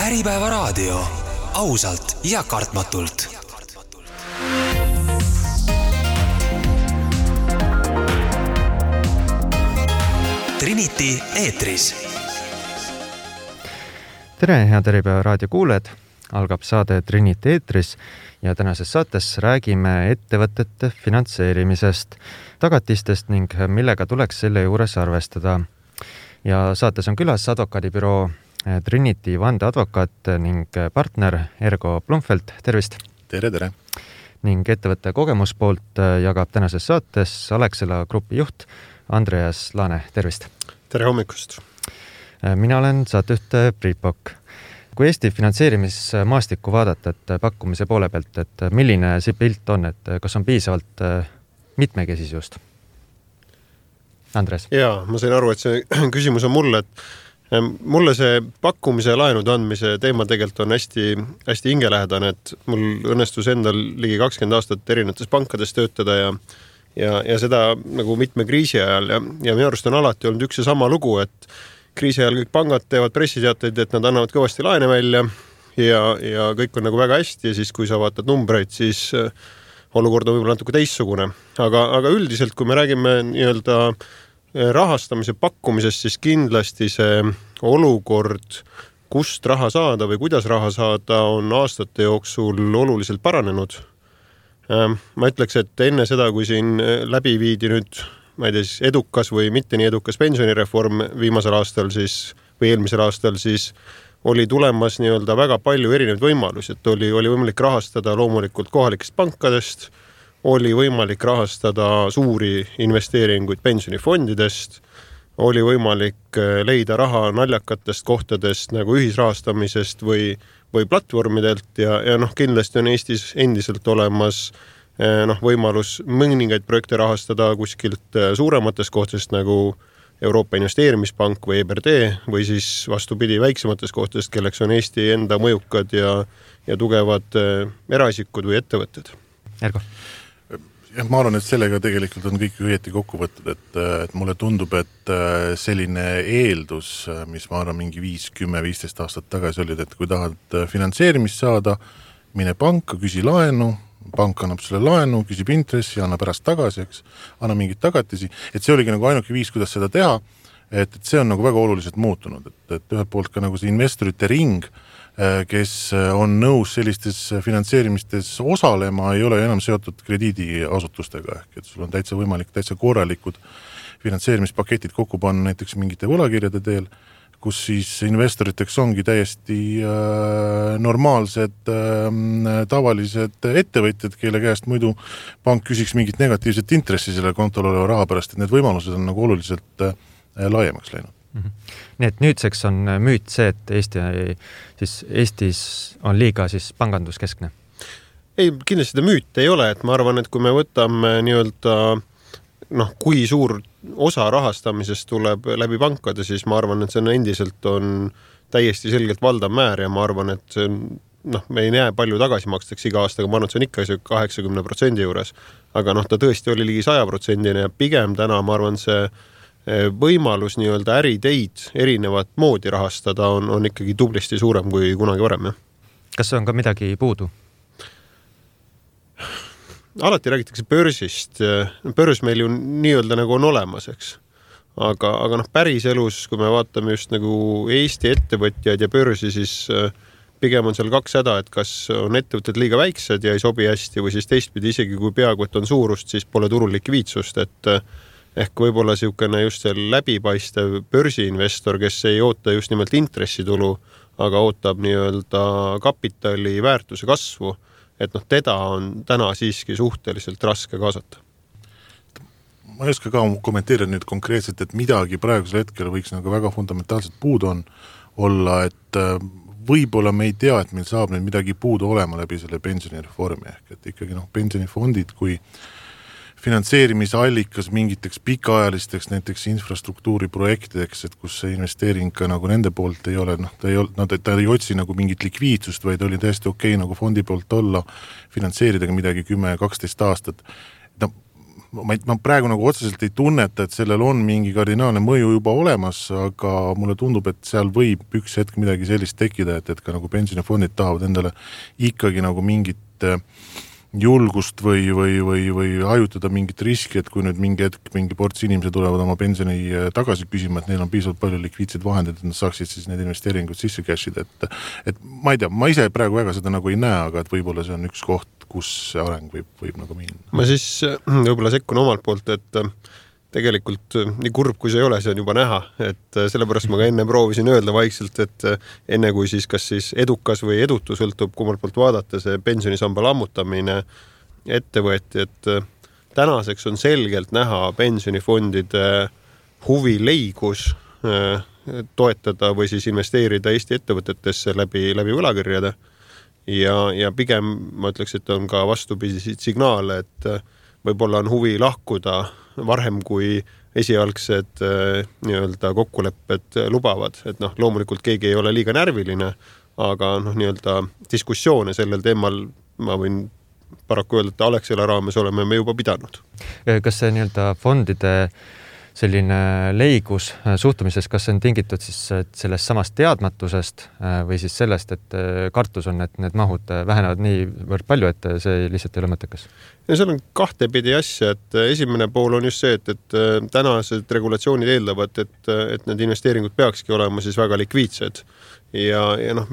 Äripäeva raadio. Ausalt ja kartmatult. Trinity eetris. Tere, head Äripäeva raadio kuuled. Algab saade Trinity eetris ja tänases saates räägime ettevõtete finantseerimisest, tagatistest ning millega tuleks selle juures arvestada. Ja saates on külas advokaadibüroo Trinity vandeadvokaat ning partner Ergo Blumfeld. Tervist! Tere, tere! Ning ettevõtte kogemuspoolt jagab tänases saates Alexela grupi juht Andreas Laane. Tervist! Tere hommikust! Mina olen saatejuht Priit Pokk. Kui Eesti finantseerimismaastikku vaadata, et pakkumise poole pealt, et milline see pilt on, et kas on piisavalt mitmekesisust? Andres? Jaa, ma sain aru, et see küsimus on mulle, et mulle see pakkumise ja laenude andmise teema tegelikult on hästi hingelähedane, et mul õnnestus endal ligi 20 aastat erinevates pankades töötada ja seda nagu mitme kriisi ajal ja minu arust on alati olnud üks ja sama lugu, et kriisi ajal kõik pangad teevad pressiteateid, et nad annavad kõvasti laene välja ja kõik on nagu väga hästi ja siis kui sa vaatad numbreid, siis olukord on võib-olla natuke teistsugune. Aga üldiselt, kui me räägime nii-öelda rahastamise pakkumisest, siis kindlasti see olukord, kust raha saada või kuidas raha saada, on aastate jooksul oluliselt paranenud. Ma ütleks, et enne seda, kui siin läbi viidi nüüd ma ei tea, siis edukas või mitte nii edukas pensionireform viimasel aastal siis, või eelmisel aastal, siis oli tulemas nii-öelda väga palju erinevaid võimalusi, et oli võimalik rahastada loomulikult kohalikest pankadest, oli võimalik rahastada suuri investeeringuid pensionifondidest, oli võimalik leida raha naljakatest kohtadest nagu ühisrahastamisest või platvormidelt ja kindlasti on Eestis endiselt olemas võimalus mõningaid projekte rahastada kuskilt suurematest kohtadest nagu Euroopa Investeerimispank või EBRD või siis vastupidi väiksematest kohtadest, kelleks on Eesti enda mõjukad ja tugevad eraisikud või ettevõtted. Ergo? Ma arvan, et sellega tegelikult on kõik õieti kokku võttud, et mulle tundub, et selline eeldus, mis ma arvan mingi 5-10-15 aastat tagasi oli, et kui tahad finantseerimist saada, mine panka, küsi laenu, pank annab sulle laenu, küsib intressi, annab pärast tagasi, anna mingid tagatisi, et see oligi nagu ainuke viis, kuidas seda teha, et see on nagu väga oluliselt muutunud, et ühelt poolt ka nagu see investorite ring, kes on nõus sellistes finantseerimistes osalema, ei ole enam seotud krediidiasutustega, et sul on täitsa võimalik, täitsa korralikud finantseerimispaketid kokku panna näiteks mingite võlakirjade teel, kus siis investoriteks ongi täiesti normaalsed, tavalised ettevõtjad, kelle käest muidu pank küsiks mingit negatiivset intressi selle kontol oleva raha pärast, et need võimalused on nagu oluliselt laiemaks läinud. Nii et nüüdseks on müüt see, et Eestis on liiga siis panganduskeskne? Ei, kindlasti seda müüt ei ole, et ma arvan, et kui me võtame nii-öelda kui suur osa rahastamisest tuleb läbi pankade, siis ma arvan, et see endiselt on täiesti selgelt valdav määr ja ma arvan, et see on, me ei näe palju tagasi makstakse iga aastaga, ma arvan, et see on ikka 80% juures, aga ta tõesti oli ligi 100% ja pigem täna, ma arvan, see võimalus nii-öelda äriteid erinevat moodi rahastada on ikkagi tublisti suurem kui kunagi varem. Kas on ka midagi puudu? Alati räägitakse börsist. Börs meil ju nii-öelda nagu on olemas, eks. Aga päris elus, kui me vaatame just nagu Eesti ettevõtjaid ja börsi, siis pigem on seal kaks häda, et kas on ettevõtted liiga väiksed ja ei sobi hästi või siis teistpidi isegi kui peaaegu et on suurust, siis pole turul likviidsust, et ehk võib-olla siukene just see läbipaistev börsiinvestor, kes ei oota just nimelt intressitulu, aga ootab nii-öelda kapitali väärtuse kasvu, et teda on täna siiski suhteliselt raske kaasata. Ma ei oska ka kommenteerida nüüd konkreetselt, et midagi praegusel hetkel võiks nagu väga fundamentaalselt puudu olla, et võib-olla me ei tea, et meil saab nüüd midagi puudu olema läbi selle pensionireformi ehk et ikkagi pensionifondid kui finantseerimisallikas mingiteks pikaajalisteks näiteks infrastruktuuriprojektideks, et kus see investeering ka nagu nende poolt ei ole, ta ei otsi nagu mingit likviidsust, vaid oli täiesti okei nagu fondi poolt olla, finantseerida midagi 10-12 aastat. ma praegu nagu otseselt ei tunneta, et sellel on mingi kardinaalne mõju juba olemas, aga mulle tundub, et seal võib üks hetk midagi sellist tekkida, et ka nagu pensionifondid tahavad endale ikkagi nagu mingit julgust või hajutada mingit riski, et kui nüüd mingi hetk mingi ports inimesed tulevad oma pensioni tagasi küsima, et neil on piisavalt palju likviidseid vahendeid, et nad saaksid siis need investeeringud sisse cashida, et ma ei tea, ma ise praegu väga seda nagu ei näe, aga et võib-olla see on üks koht, kus see areng võib nagu minna. Ma siis võib-olla sekkun omalt poolt, et tegelikult nii kurb, kui see ei ole, see on juba näha, et sellepärast ma ka enne proovisin öelda vaikselt, et enne kui siis kas siis edukas või edutu sõltub kummalt poolt vaadata, see pensionisamba lammutamine ette võeti, et tänaseks on selgelt näha pensionifondide huvi leigus toetada või siis investeerida Eesti ettevõtetesse läbi võlakirjade. Ja pigem ma ütleks, et on ka vastupidiseid signaale, et võib-olla on huvi lahkuda varhem kui esialgsed nii-öelda kokkulepped lubavad, et loomulikult keegi ei ole liiga närviline, aga nii-öelda diskussioone sellel teemal ma võin paraku öelda, et Alexela raames oleme me juba pidanud. Kas see nii-öelda fondide selline leigus suhtumises, kas see on tingitud siis sellest samast teadmatusest või siis sellest, et kartus on, et need mahud vähenevad niivõrd palju, et see lihtsalt ei ole mõttekas? Ja seal on kahtepidi asja, et esimene pool on just see, et tänased regulatsioonid eeldavad, et need investeeringud peakski olema siis väga likviidsed. Ja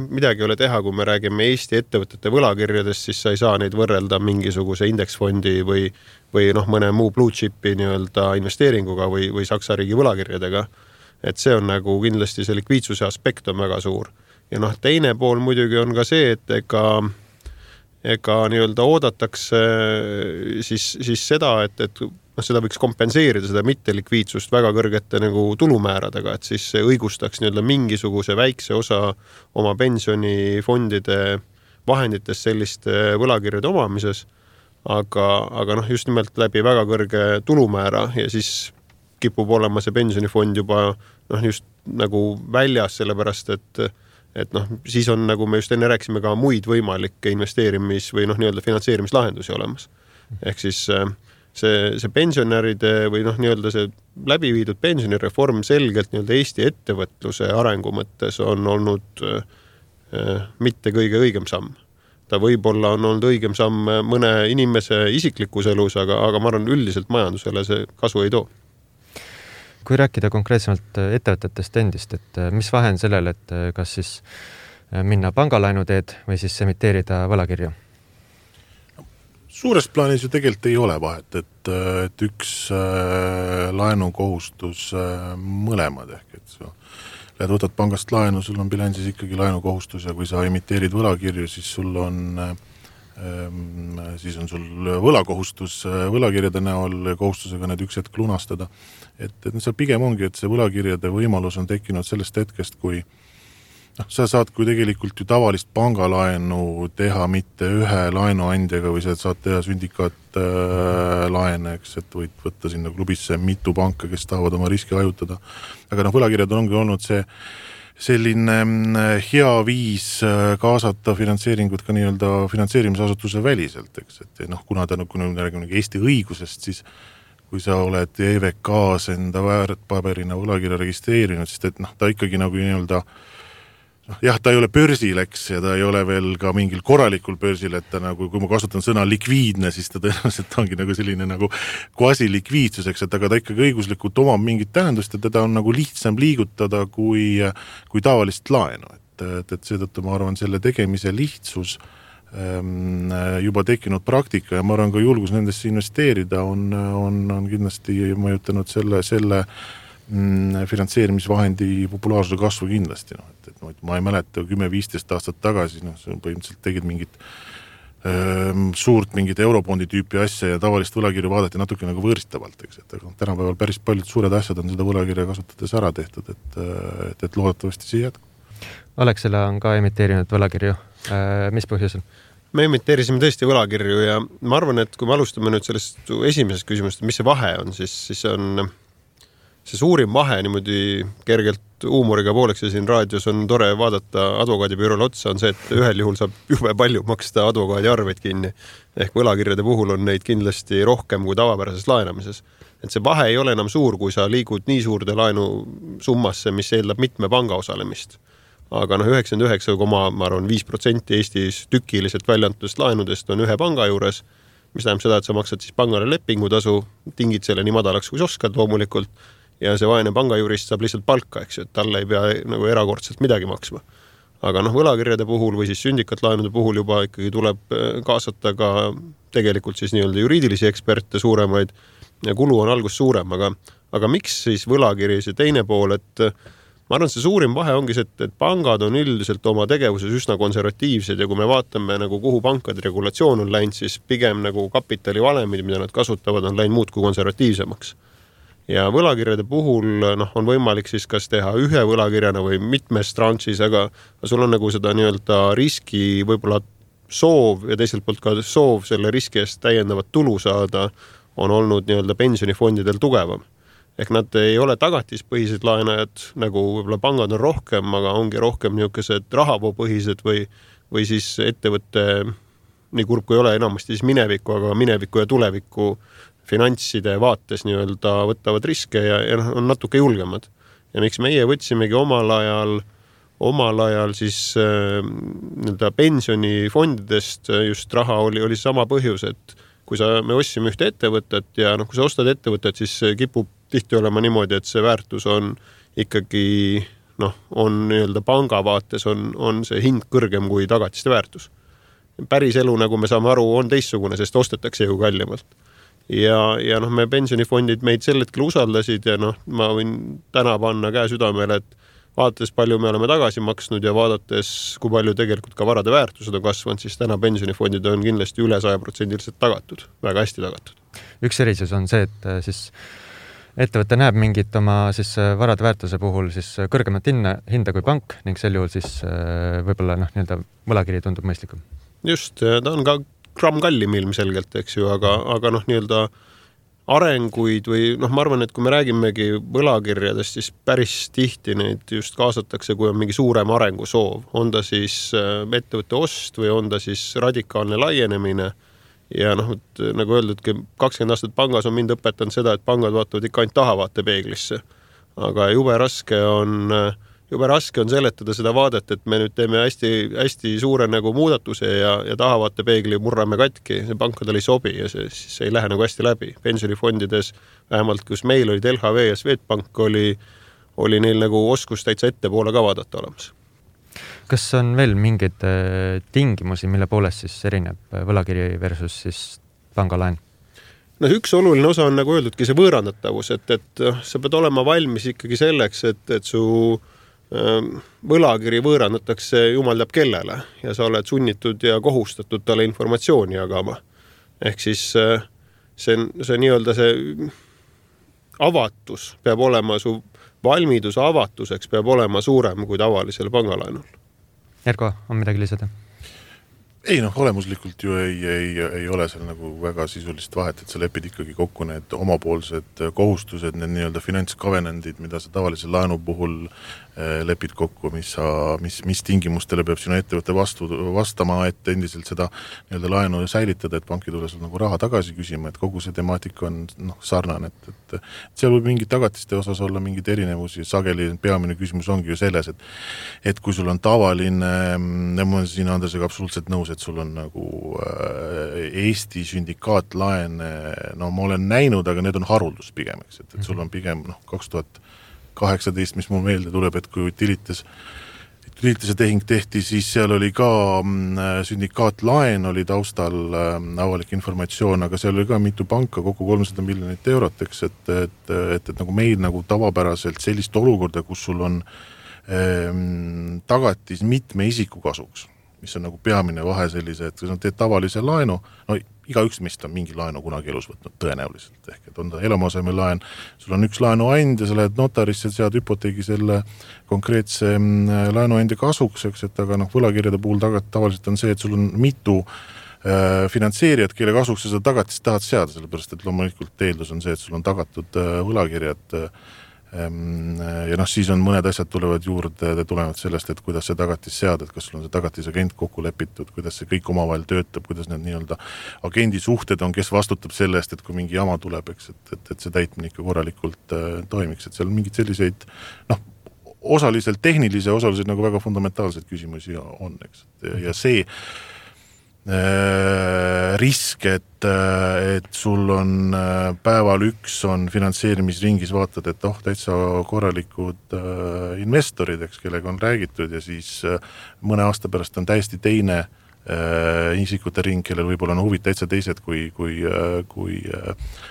midagi ei ole teha, kui me räägime Eesti ettevõtete võlakirjadest, siis sa ei saa neid võrrelda mingisuguse indeksfondi või mõne muu blue chipi nii-öelda investeeringuga või Saksa riigi võlakirjadega. Et see on nagu kindlasti see likviidsuse aspekt on väga suur. Ja teine pool muidugi on ka see, et ega nii-öelda oodatakse siis seda, et seda võiks kompenseerida, seda mittelikviidsust väga kõrgete nagu tulumääradega, et siis see õigustaks nii-öelda mingisuguse väikse osa oma pensionifondide vahenditest selliste võlakirjade omamises, aga just nimelt läbi väga kõrge tulumäära ja siis kipub olema see pensionifond juba just nagu väljas, sellepärast et siis on, nagu me just enne rääkisime, ka muid võimalikke investeerimis- või nii-öelda finantseerimislahendusi olemas. Ehk siis see pensionäride või nii-öelda see läbiviidud pensionireform selgelt nii-öelda Eesti ettevõtluse arengu mõttes on olnud mitte kõige õigem samm. Ta võib-olla on olnud õigem samm mõne inimese isiklikus elus, aga ma arvan üldiselt majandusele see kasu ei too. Kui rääkida konkreetsemalt ettevõtetest endist, et mis vahe on sellel, et kas siis minna pangalaenu teed või siis emiteerida võlakirju? Suures plaanis ju tegelikult ei ole vahet, et üks laenukohustus mõlemad ehk, et sa võtad pangast laenu, sul on bilansis ikkagi laenukohustus ja kui sa emiteerid võlakirju, siis sul võlakohustus võlakirjade näol kohustusega need üks hetk lunastada. Et see pigem ongi, et see võlakirjade võimalus on tekkinud sellest hetkest, kui sa saad kui tegelikult ju tavalist pangalaenu teha mitte ühe laenuandjaga või sa saad teha sündikaat laene, eks, et võid võtta sinna klubisse mitu panka, kes tahavad oma riski hajutada. Aga võlakirjad ongi olnud see selline hea viis kaasata finantseeringut ka nii-öelda finantseerimisasutuse väliselt, eks, et kuna me räägime Eesti õigusest, siis kui sa oled EVK-s enda väärtpaberina võlakirja registreerinud, siis ta ikkagi nagu nii-öelda jah, ta ei ole börsil, eks, ja ta ei ole veel ka mingil korralikul börsil, et ta nagu, kui ma kasutan sõna likviidne, siis ta tõenäoliselt ongi nagu selline nagu quasi-likviidsus, eks, et aga ta ikkagi õiguslikult omab mingit tähendust ja teda on nagu lihtsam liigutada kui tavalist laenu. Et seetõttu ma arvan, selle tegemise lihtsus juba tekkinud praktika ja ma arvan ka julgus nendesse investeerida on kindlasti mõjutanud selle finantseerimisvahendi populaarsuse kasvu kindlasti. Ma ei mäleta 10-15 aastat tagasi, põhimõtteliselt tegid mingit suurt mingit eurobondi tüüpi asja ja tavalist võlakirju vaadati natuke nagu võõristavalt, eks, et tänapäeval päris paljud suured asjad on seda võlakirja kasutades ära tehtud, et loodetavasti see jätkub. Alexela on ka emiteerinud võlakirju. Mis põhjusel? Me emiteerisime tõesti võlakirju ja ma arvan, et kui me alustame nüüd sellest esimesest küsimusest, mis see vahe on, siis on see suurim vahe niimoodi kergelt huumoriga pooleks ja siin raadios on tore vaadata advokaadibüroole otsa, on see, et ühel juhul saab jube palju maksta advokaadi arveid kinni. Ehk võlakirjade puhul on neid kindlasti rohkem kui tavapärases laenamises. Et see vahe ei ole enam suur, kui sa liigud nii suurde laenu summasse, mis eeldab mitme panga osalemist. Aga 99,5% Eestis tükiliselt väljantust laenudest on ühe panga juures, mis tähendab seda, et sa maksad siis pangale lepingutasu, tingid selle nii madalaks, kui sa oskad loomulikult, ja see vaene pangajurist saab lihtsalt palka, eks ju, et talle ei pea nagu erakordselt midagi maksma. Aga võlakirjade puhul või siis sündikatlaenude puhul juba ikkagi tuleb kaasata ka tegelikult siis nii-öelda juriidilisi eksperte suuremaid ja kulu on algus suurem, aga miks siis võlakiri see teine pool, et ma arvan, see suurim vahe ongi see, et pangad on üldiselt oma tegevuses üsna konservatiivsed ja kui me vaatame nagu kuhu pankade regulatsioon on läinud, siis pigem nagu kapitalivalemid, mida nad kasutavad, on läinud muud kui konservatiivsemaks. Ja võlakirjade puhul on võimalik siis kas teha ühe võlakirjana või mitmes tranšis, aga sul on nagu seda nii-öelda riski võib-olla soov ja teiselt poolt ka soov selle riski eest täiendavat tulu saada on olnud nii-öelda pensionifondidel tugevam. Ehk nad ei ole tagatispõhised laenajad, nagu võib-olla pangad on rohkem, aga ongi rohkem niisugused rahavoopõhised või siis ettevõtte, nii kurb kui ei ole enamasti siis mineviku, aga mineviku ja tuleviku finantside vaates nii-öelda võtavad riske ja on natuke julgemad. Ja miks meie võtsimegi omal ajal siis nii-öelda pensionifondidest just raha oli sama põhjus, et kui me ostsime ühte ettevõtet ja kui sa ostad ettevõtet, siis kipub tihti olema niimoodi, et see väärtus on ikkagi, on nii-öelda panga vaates on see hind kõrgem kui tagatiste väärtus. Päris elu, nagu me saame aru, on teistsugune, sest ostetakse ju kallimalt. Ja me pensionifondid meid sel hetkel usaldasid ja ma võin täna panna käe südamele, et vaadates palju me oleme tagasi maksnud ja vaadates, kui palju tegelikult ka varade väärtused on kasvanud, siis täna pensionifondid on kindlasti üle 100% tagatud, väga hästi tagatud. Üks erisus on see, et siis ettevõte näeb mingit oma siis varade väärtuse puhul siis kõrgemat hinda kui pank ning sel juhul siis võib-olla nii-öelda võlakiri tundub mõistlikum. Just, ta on ka gramm kallim ilmselgelt, eks ju, aga nii-öelda arenguid või ma arvan, et kui me räägimegi võlakirjadest, siis päris tihti neid just kaasatakse, kui on mingi suurem arengusoov. On ta siis ettevõtte ost või on ta siis radikaalne laienemine ja nagu öeldud, 20 aastat pangas on mind õpetanud seda, et pangad vaatavad ikka ainult tahavaate peeglisse. Aga jube raske on seletada seda vaadet, et me nüüd teeme hästi suure nagu muudatuse ja tahavaate peegli murrame katki. See pankadel ei sobi ja see ei lähe nagu hästi läbi. Pensionifondides, vähemalt kus meil olid LHV ja Swedbank, oli neil nagu oskus täitsa ettepoole ka vaadata olemas. Kas on veel mingeid tingimusi, mille poolest siis erineb võlakiri versus siis pangalaen? Üks oluline osa on nagu öeldudki see võõrandatavus, et sa pead olema valmis ikkagi selleks, et su võlakiri võõrandatakse jumal teab kellele ja sa oled sunnitud ja kohustatud talle informatsiooni jagama. Ehk siis see nii-öelda see avatus peab olema, su valmidus avatuseks peab olema suurem kui tavalisel pangalaenul. Erko, on midagi lisada? Ei olemuslikult ju ei ole seal nagu väga sisulist vahet, et sa lepid ikkagi kokku need omapoolsed kohustused, need nii-öelda finantskavenendid, mida sa tavalise laenu puhul lepid kokku, mis tingimustele peab sinu ettevõtte vastama, et endiselt seda nii-öelda laenu säilitada, et pank ei tule sul nagu raha tagasi küsima, et kogu see temaatika on sarnane, et seal võib mingid tagatiste osas olla mingid erinevusi, sageli peamine küsimus ongi ju selles, et kui sul on tavaline, ma olen siin Andresega absoluutselt nõus, et sul on nagu Eesti sündikaatlaene, ma olen näinud, aga need on haruldus pigem, eks, et sul on pigem 2018, mis mul meelde tuleb, et kui Tilitise tehing tehti, siis seal oli ka sündikaatlaen oli taustal avalik informatsioon, aga seal oli ka mitu panka, kokku 300 miljonit eurot, eks, et nagu meil nagu tavapäraselt sellist olukorda, kus sul on tagatis mitme isiku kasuks, mis on nagu peamine vahe sellise, et kui sa teed tavalise laenu, igaüks meist on mingi laenu kunagi elus võtnud tõenäoliselt, ehk et on ta eluaseme laen, sul on üks laenuandja, sa lähed notarisse, sead hüpoteegi selle konkreetse laenuandja kasuks, eks, et aga võlakirjade puhul tavaliselt on see, et sul on mitu finantseerijad, kelle kasuks sa seda tagatist tahad seada, sellepärast et loomulikult eeldus on see, et sul on tagatud võlakirjad Ja siis on mõned asjad tulevad juurde, tulevad sellest, et kuidas see tagatis seada, et kas sul on see tagatisagent kokku lepitud, kuidas see kõik omavahel töötab, kuidas need nii-öelda agendi suhted on, kes vastutab selle eest, et kui mingi jama tuleb, eks, et see täitmine ikka korralikult toimiks, et seal mingid selliseid osaliselt tehnilise, osaliselt nagu väga fundamentaalseid küsimusi on, eks, ja see risk, et sul on päeval üks on finantseerimisringis, vaatad, et täitsa korralikud investorid, eks, kellega on räägitud ja siis mõne aasta pärast on täiesti teine isikute ring, kellel võib-olla on huvid täitsa teised, kui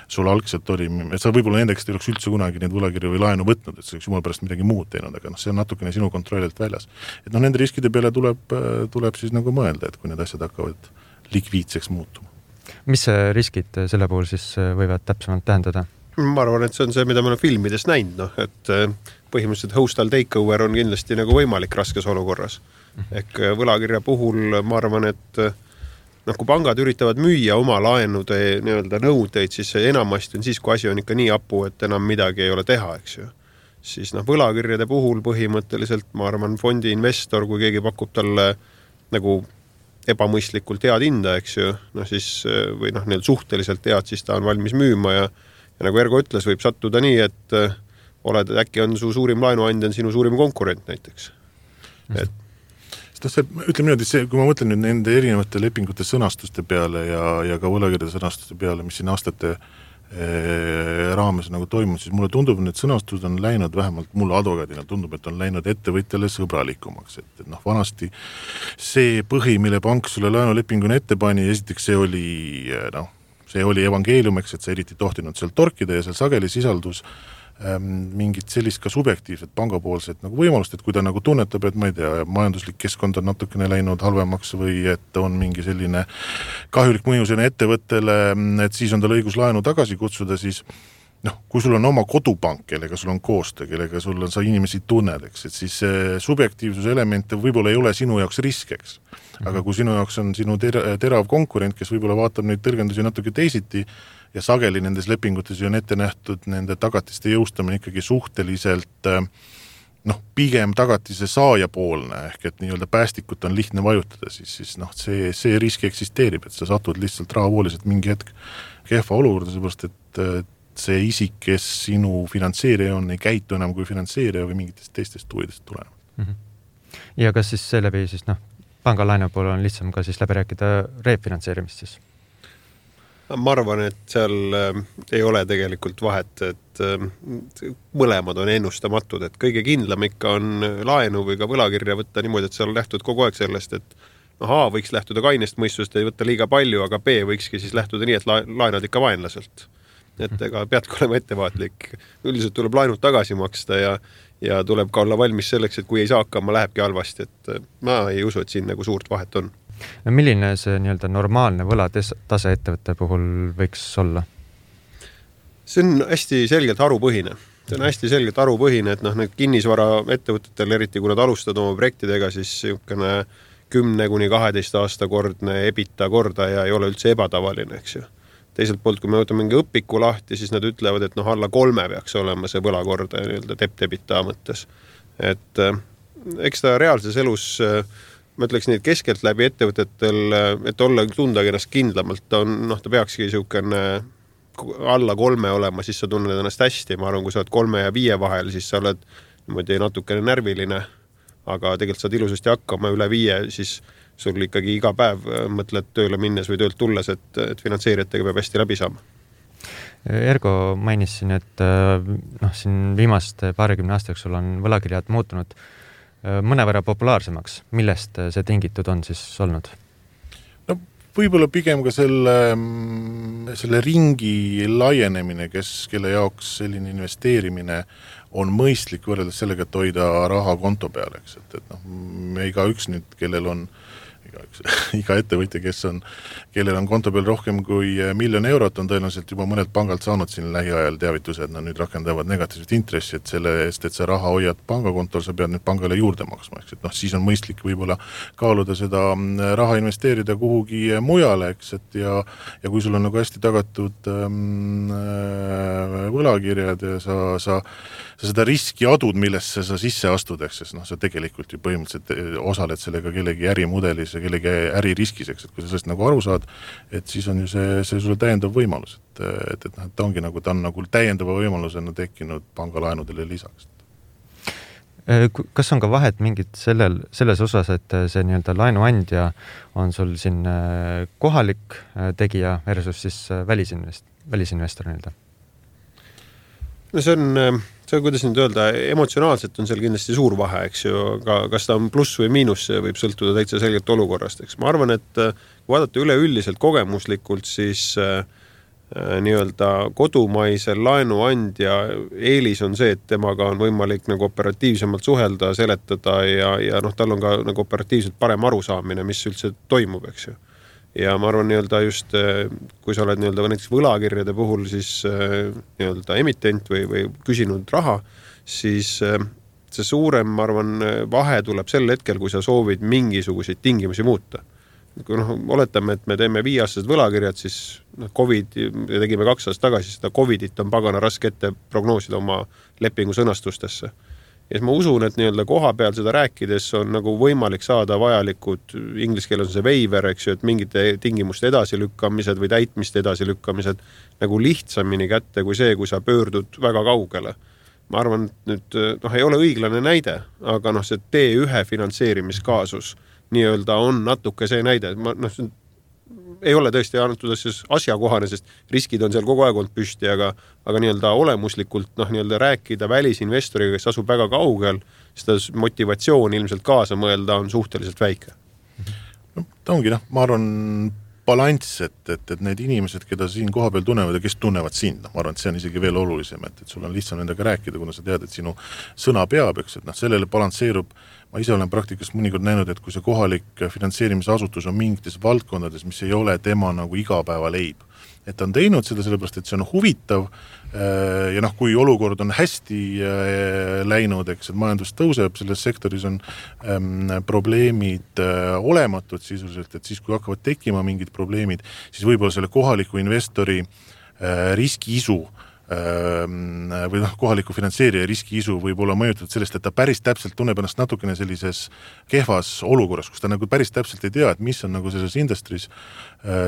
sul algselt oli, et sa võib-olla nendeks ei oleks üldse kunagi neid võlakirju või laenu võtnud, et see oleks jumala pärast midagi muud teinud, aga see on natukene sinu kontrollilt väljas. Et nende riskide peale tuleb siis nagu mõelda, et kui need asjad hakkavad likviidseks muutuma. Mis riskid selle puhul siis võivad täpsemalt tähendada? Ma arvan, et see on see, mida me oleme filmides näinud, et põhimõtteliselt hostile takeover on kindlasti nagu võimalik raskes olukorras. Ehk võlakirja puhul ma arvan, et kui pangad üritavad müüa oma laenude nii-öelda nõudeid, siis enamasti on siis, kui asi on ikka nii apu, et enam midagi ei ole teha, eks ju. Siis võlakirjade puhul põhimõtteliselt, ma arvan, fondi investor, kui keegi pakub talle nagu ebamõistlikult head hinda, eks ju, siis, või neil suhteliselt head, siis ta on valmis müüma ja nagu Ergo ütles, võib sattuda nii, et äkki on su suurim laenuandja on sinu suurim konkurent näiteks. Ütleme niimoodi, kui ma mõtlen nüüd nende erinevate lepingute sõnastuste peale ja ka võlakirjade sõnastuste peale, mis siin aastate raames nagu toimunud, siis mulle tundub, et sõnastused on läinud, vähemalt mulle advokaadina tundub, et on läinud ettevõtjale sõbralikumaks. Et vanasti see põhi, mille pank sulle laenulepinguna ette pani, esiteks see oli evangeeliumeks, et sa eriti tohtinud seal torkida ja seal sageli sisaldus mingit sellist ka subjektiivset pangapoolset nagu võimalust, et kui ta nagu tunnetab, et ma ei tea, majanduslik keskkond on natukene läinud halvemaks või et on mingi selline kahjulik mõju selle ettevõttele, et siis on tal õigus laenu tagasi kutsuda, siis kui sul on oma kodupank, kellega sul on koostöö, kellega sul on sa inimesi tunned, eks, et siis subjektiivsuse elemente võib-olla ei ole sinu jaoks riskeks. Aga kui sinu jaoks on sinu terav konkurent, kes võib-olla vaatab neid tõlgendusi natuke teisiti ja sageli nendes lepingutes on ette nähtud nende tagatiste jõustamine ikkagi suhteliselt pigem tagatise saaja poolne, ehk et nii-öelda päästikut on lihtne vajutada, siis see risk eksisteerib, et sa satud lihtsalt rahavooliselt mingi hetk kehva olukorda, seepärast et see isik, kes sinu finantseerija on, ei käitu enam kui finantseerija või mingitest teistest huvidest tulenevalt. Ja kas siis seeläbi siis panga laenu poole on lihtsam ka siis läbi rääkida refinantseerimist siis? Ma arvan, et seal ei ole tegelikult vahet, et mõlemad on ennustamatud, et kõige kindlam ikka on laenu või ka võlakirja võtta niimoodi, et seal lähtud kogu aeg sellest, et A võiks lähtuda kainest mõistust, ei võtta liiga palju, aga B võikski siis lähtuda nii, et laenad ikka vaenlaselt. Et ega peadki olema ettevaatlik. Üldiselt tuleb laenud tagasi maksta ja tuleb ka olla valmis selleks, et kui ei saa hakkama, lähebki halvasti, et ma ei usu, et siin nagu suurt vahet on. Milline see nii-öelda normaalne võlatase ettevõtte puhul võiks olla? See on hästi selgelt harupõhine. See on hästi selgelt harupõhine, et need kinnisvara ettevõtetel, eriti kui nad alustavad oma projektidega, siis niisugune 10–12 aasta kordne EBITDA kordaja ei ole üldse ebatavaline, eks ju. Teiselt poolt, kui me võtame mingi õpiku lahti, siis nad ütlevad, et alla 3 peaks olema see võlakordaja nii-öelda debt-EBITDA mõttes. Et eks ta reaalses elus ma ütleks neid keskelt läbi ettevõtetel, et olla tundagi ennast kindlamalt, ta peakski niisugune alla 3 olema, siis sa tunned ennast hästi. Ma arvan, kui sa oled 3 ja 5 vahel, siis sa oled niimoodi natukene närviline, aga tegelikult saad ilusasti hakkama üle 5, siis sul ikkagi iga päev mõtled tööle minnes või töölt tulles, et finantseerijatega peab hästi läbi saama. Ergo mainis siin, et siin viimaste 20 aastaks sul on võlakirjad muutunud mõnevõrra populaarsemaks. Millest see tingitud on siis olnud? Võib-olla pigem ka selle ringi laienemine, kelle jaoks selline investeerimine on mõistlik võrreldes sellega, et hoida raha konto peale. Eks? Et iga üks nüüd, kellel on iga ettevõtja, kellel on konto peal rohkem kui 1 miljon eurot, on tõenäoliselt juba mõnelt pangalt saanud siin lähiajal teavituse, et nad nüüd rakendavad negatiivset intressi, et selle eest, et sa raha hoiad pangakontol, sa pead nüüd pangale juurde maksma, eks, et siis on mõistlik võib-olla kaaluda seda raha investeerida kuhugi mujale, eks, et ja kui sul on nagu hästi tagatud võlakirjad ja sa seda riski adud, millesse sa sisse astud, eks, sest sa tegelikult ju põhimõtteliselt osaled sellega kellegi ärimudelis ja kellegi äririskis, eks, et kui sa sellest nagu aru saad, et siis on ju see sulle täiendav võimalus, et ta ongi nagu, ta on nagu täiendava võimalusena tekkinud pangalaenudele lisaks. Kas on ka vahet mingid selles osas, et see nii-öelda laenuandja on sul siin kohalik tegija versus siis välisinvestor nii-öelda? No see on, kuidas nüüd öelda, emotsionaalselt on seal kindlasti suur vahe, eks ju, aga kas ta on pluss või miinus, see võib sõltuda täitsa selgelt olukorrast, eks. Ma arvan, et kui vaadata üleüldiselt kogemuslikult, siis nii-öelda kodumaisel laenuandja eelis on see, et temaga on võimalik nagu operatiivsemalt suhelda, seletada ja tal on ka nagu operatiivselt parem arusaamine, mis üldse toimub, eks ju. Ja ma arvan nii-öelda just, kui sa oled nii-öelda näiteks võlakirjade puhul siis nii-öelda emitent või küsinud raha, siis see suurem, ma arvan, vahe tuleb sel hetkel, kui sa soovid mingisuguseid tingimusi muuta. Kui oletame, et me teeme 5-aastased võlakirjad, siis COVID, ja tegime 2 aastat tagasi, seda COVIDit on pagana raske ette prognoosida oma lepingu sõnastustesse. Ja siis ma usun, et nii-öelda koha peal seda rääkides on nagu võimalik saada vajalikud, inglise keeles on see waiver, eks ju, et mingite tingimuste edasilükkamised või täitmiste edasilükkamised nagu lihtsamini kätte kui see, kui sa pöördud väga kaugele. Ma arvan, et nüüd ei ole õiglane näide, aga see T1 finantseerimiskaasus nii-öelda on natuke see näide. Ei ole tõesti antud asjakohane, sest riskid on seal kogu aeg olnud püsti, aga nii-öelda olemuslikult nii-öelda rääkida välisinvestoriga, kes asub väga kaugel, seda motivatsiooni ilmselt kaasa mõelda on suhteliselt väike. Ta ongi, ma arvan, balanss, et need inimesed, keda siin koha peal tunnevad ja kes tunnevad sind, ma arvan, et see on isegi veel olulisem, et sul on lihtsam nendega rääkida, kuna sa tead, et sinu sõna peab, eks, et sellele balansseerub. Ma ise olen praktikas mõnikord näinud, et kui see kohalik finantseerimisasutus on mingites valdkondades, mis ei ole tema nagu igapäeva leib, et ta on teinud seda sellepärast, et see on huvitav ja kui olukord on hästi läinud, eks, et majandus tõuseb, selles sektoris on probleemid olematud sisuliselt, et siis kui hakkavad tekkima mingid probleemid, siis võib-olla selle kohaliku investori riskiisu või kohaliku finantseerija riskiisu võib olla mõjutatud sellest, et ta päris täpselt tunneb ennast natukene sellises kehvas olukorras, kus ta nagu päris täpselt ei tea, et mis on nagu selles industris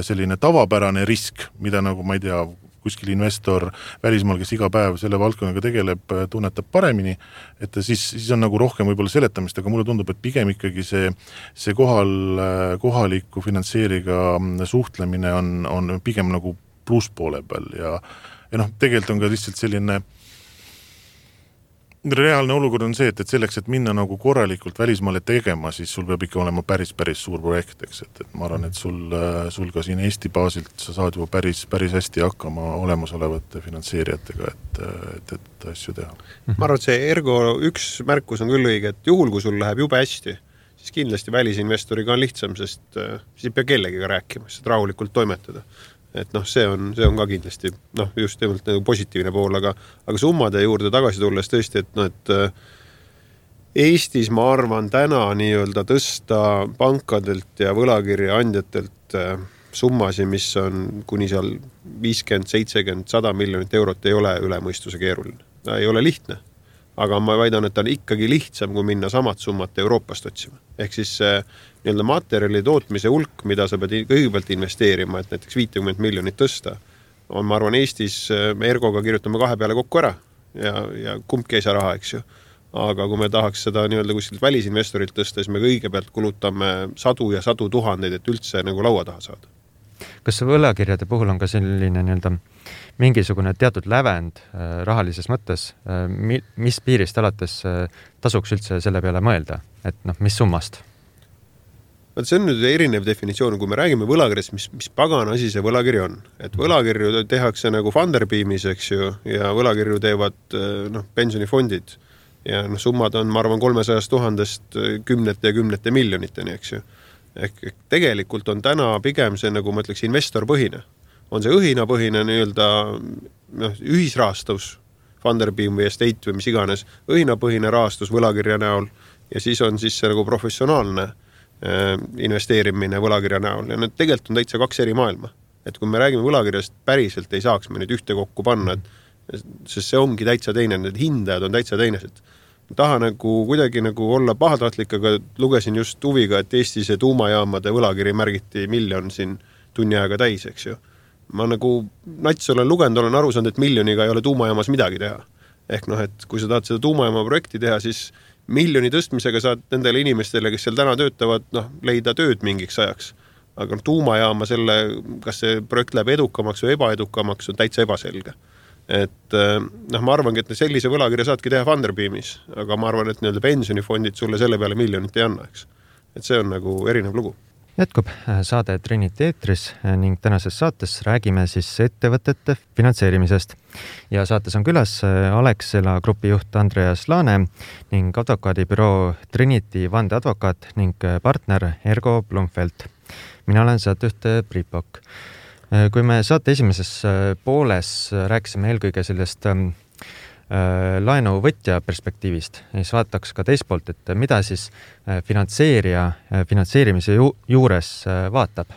selline tavapärane risk, mida nagu, ma ei tea, kuskil investor välismaal, kes iga päev selle valdkonnaga tegeleb, tunnetab paremini, et siis on nagu rohkem võib-olla seletamist, aga mulle tundub, et pigem ikkagi see kohaliku finantseeriga suhtlemine on pigem nagu plusspoole peal ja tegelikult on ka lihtsalt selline reaalne olukord on see, et selleks, et minna nagu korralikult välismaale tegema, siis sul peab ikka olema päris suur projekt, eks, et ma arvan, et sul ka siin Eesti baasilt sa saad juba päris hästi hakkama olemasolevate finantseerijatega, et asju teha. Ma arvan, et see Ergo üks märkus on küll õige, et juhul, kui sul läheb jube hästi, siis kindlasti välisinvestoriga on lihtsam, sest siis ei pea kellegiga rääkima, sest rahulikult toimetada. Et see on ka kindlasti just teemalt positiivne pool, aga summade juurde tagasi tulles tõesti, et Eestis ma arvan täna nii-öelda tõsta pankadelt ja võlakirja andjatelt summasi, mis on kuni seal 50, 70, 100 miljonit eurot ei ole üle mõistuse keeruline. Ta ei ole lihtne, aga ma väidan, et ta on ikkagi lihtsam, kui minna samad summat Euroopast otsima. Ehk siis nii-öelda materjali tootmise hulk, mida sa pead kõigepealt investeerima, et näiteks 50 miljonit tõsta, on, ma arvan, Eestis me Ergoga kirjutame 2 peale kokku ära ja kumbki ei saa raha, eks ju. Aga kui me tahaks seda nii-öelda kuskilt välisinvestorilt tõsta, siis me kõigepealt kulutame sadu ja sadu tuhandeid, et üldse nagu laua taha saada. Kas võlakirjade puhul on ka selline nii-öelda mingisugune teatud lävend rahalises mõttes, mis piirist alates tasuks üldse selle peale mõelda, et mis summast? See on nüüd erinev definitsioon, kui me räägime võlakirjast, mis pagana asi see võlakiri on. Et võlakirju tehakse nagu Funderbeamis, eks ju, ja võlakirju teevad pensionifondid. Ja summad on, ma arvan, 300 000 kümnete ja kümnete miljoniteni, eks ju. Ehk tegelikult on täna pigem see, nagu ma ütleks, investorpõhine. On see õhinapõhine nii-öelda ühisrahastus, Funderbeam või Estate või mis iganes, õhinapõhine rahastus võlakirja näol ja siis on siis see nagu professionaalne investeerimine võlakirja näol ja need tegelikult on täitsa kaks eri maailma. Et kui me räägime võlakirjast, päriselt ei saaks me nüüd ühte kokku panna, sest see ongi täitsa teine, need hindajad on täitsa teinesed. Taha nagu kuidagi nagu olla pahatahtlik, aga lugesin just huviga, et Eestis tuumajaamade võlakiri märgiti 1 miljon siin tunni aega täis, eks ju. Ma nagu nats olen lugenud, olen aru saanud, et 1 miljoniga ei ole tuumajaamas midagi teha. Ehk et kui sa tahad seda tuumajaama projekti teha, siis 1 miljoni tõstmisega saad nendele inimestele, kes seal täna töötavad, leida tööd mingiks ajaks. Aga tuumajaama selle, kas see projekt läheb edukamaks või ebaedukamaks, on täitsa ebaselge. Et ma arvangi, et sellise võlakirja saadki teha Funderbeamis, aga ma arvan, et pensionifondid sulle selle peale 1 miljonit ei anna, eks. Et see on nagu erinev lugu. Jätkub saade Trinity eetris ning tänases saates räägime siis ettevõtete finantseerimisest. Ja saates on külas Alexela grupi juht Andreas Laane ning advokaadibüroo Trinity vandeadvokaat ning partner Ergo Blumfeld. Mina olen saatejuht Priit Pokk. Kui me saate esimeses pooles rääkisime eelkõige sellest laenuvõtja perspektiivist, siis vaataks ka teist poolt, et mida siis finantseerija finantseerimise juures vaatab.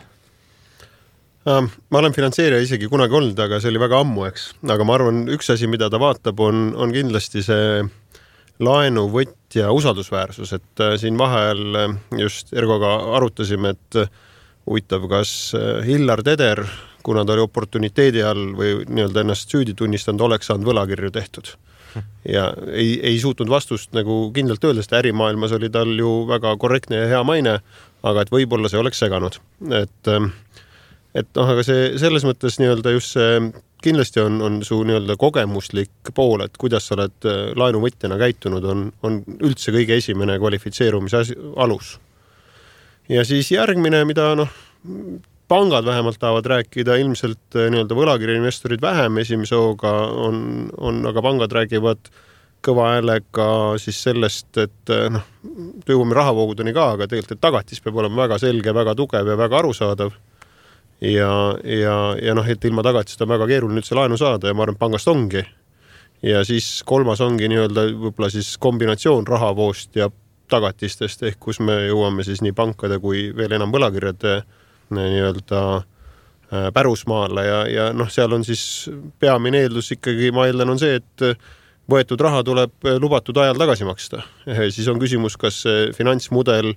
Ma olen finantseerija isegi kunagi olnud, aga see oli väga ammu, eks. Aga ma arvan, üks asi, mida ta vaatab, on kindlasti see laenuvõtja usaldusväärsus, et siin vahel just Ergoga arutasime, et huvitav, kas Hillar Teder, kuna ta oli oportuniteedi all või nii-öelda ennast süüdi tunnistanud, oleks saanud võlakirju tehtud. Ja ei suutnud vastust nagu kindlalt öelda, sest ärimaailmas oli tal ju väga korrektne ja hea maine, aga et võib-olla see oleks seganud. Aga see selles mõttes nii-öelda just see kindlasti on su nii-öelda kogemuslik pool, et kuidas sa oled laenuvõtjana käitunud, on üldse kõige esimene kvalifitseerumise alus. Ja siis järgmine, mida pangad vähemalt tahavad rääkida, ilmselt nii-öelda võlakirja investorid vähem esimese hooga on, aga pangad räägivad kõva häälega siis sellest, et jõuame rahavoogudeni ka, aga tegelikult tagatis peab olema väga selge, väga tugev ja väga arusaadav. Ja et ilma tagatist on väga keeruline üldse laenu saada ja ma arvan, pangast ongi. Ja siis kolmas ongi nii-öelda võib-olla siis kombinatsioon rahavoost ja tagatistest, ehk kus me jõuame siis nii pankade kui veel enam võlakirjade nii-öelda pärusmaale ja seal on siis peamine eeldus ikkagi, ma eeldan, on see, et võetud raha tuleb lubatud ajal tagasi maksta. Siis on küsimus, kas finantsmudel,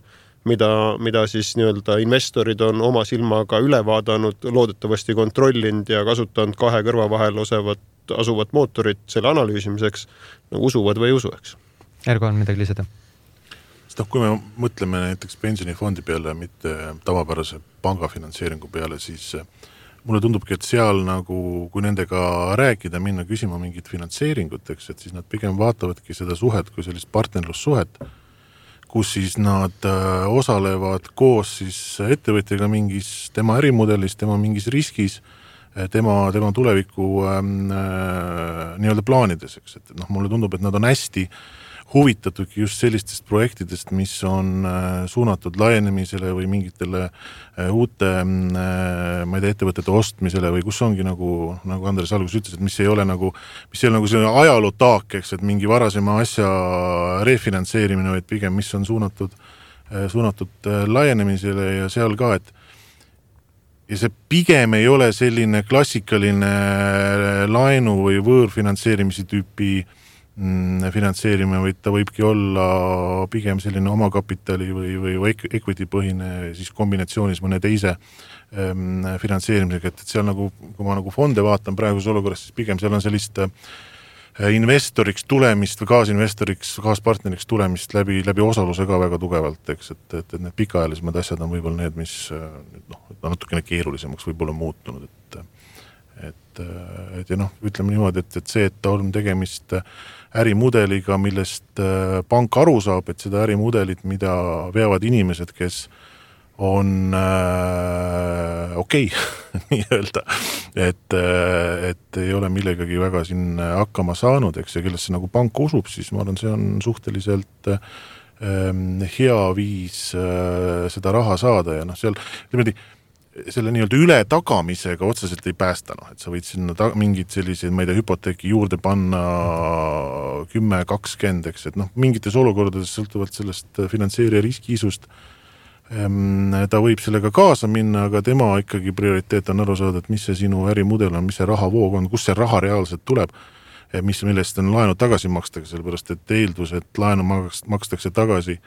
mida siis nii-öelda investorid on oma silmaga üle vaadanud, loodetavasti kontrollinud ja kasutanud 2 kõrva vahel asuvat mootorit selle analüüsimiseks, usuvad või ei usu, eks. Ergo on midagi lisada? Kui me mõtleme näiteks pensionifondi peale, mitte tavapärase pangafinantseeringu peale, siis mulle tundubki, et seal nagu, kui nendega rääkida, minna küsima mingit finantseeringut, eks, et siis nad pigem vaatavadki seda suhet kui sellist partnerlussuhet, kus siis nad osalevad koos siis ettevõtjaga mingis tema ärimudelis, tema mingis riskis, tema tuleviku nii-öelda plaanides, eks, et mulle tundub, et nad on hästi huvitatuki just sellistest projektidest, mis on suunatud laienemisele või mingitele uute, ma ei tea, ettevõtete ostmisele või kus ongi nagu Andres alguses ütles, et mis ei ole nagu selline ajalootaak, eks, et mingi varasema asja refinantseerimine, vaid pigem mis on suunatud laienemisele ja seal ka, et ja see pigem ei ole selline klassikaline laenu või võõrfinantseerimise tüüpi finantseerime, või ta võibki olla pigem selline omakapitali või equity põhine siis kombinatsioonis mõne teise finantseerimisega, et seal nagu, kui ma nagu fonde vaatan praeguses olukorras, siis pigem seal on sellist investoriks tulemist või kaaspartneriks tulemist läbi osaluse ka väga tugevalt, eks, et need pikaajalisemad asjad on võib-olla need, mis natukene keerulisemaks võib-olla muutunud, et ütleme niimoodi, et see, et ta on tegemist ärimudeliga, millest pank aru saab, et seda ärimudelit, mida veavad inimesed, kes on okei, nii-öelda, et ei ole millegagi väga siin hakkama saanud, eks, ja kellesse nagu pank usub, siis ma arvan, see on suhteliselt hea viis seda raha saada ja seal niimoodi selle nii-öelda üle tagamisega otseselt ei päästa, et sa võid sinna mingid sellised, ma ei tea, hüpoteeki juurde panna 10-20, eks, et mingites olukordades sõltuvalt sellest finantseerija riskiisust ta võib sellega kaasa minna, aga tema ikkagi prioriteet on aru saada, et mis see sinu ärimudel on, mis see rahavoog on, kus see raha reaalselt tuleb, millest on laenu tagasi makstakse, sellepärast et eeldus, et laenu makstakse tagasi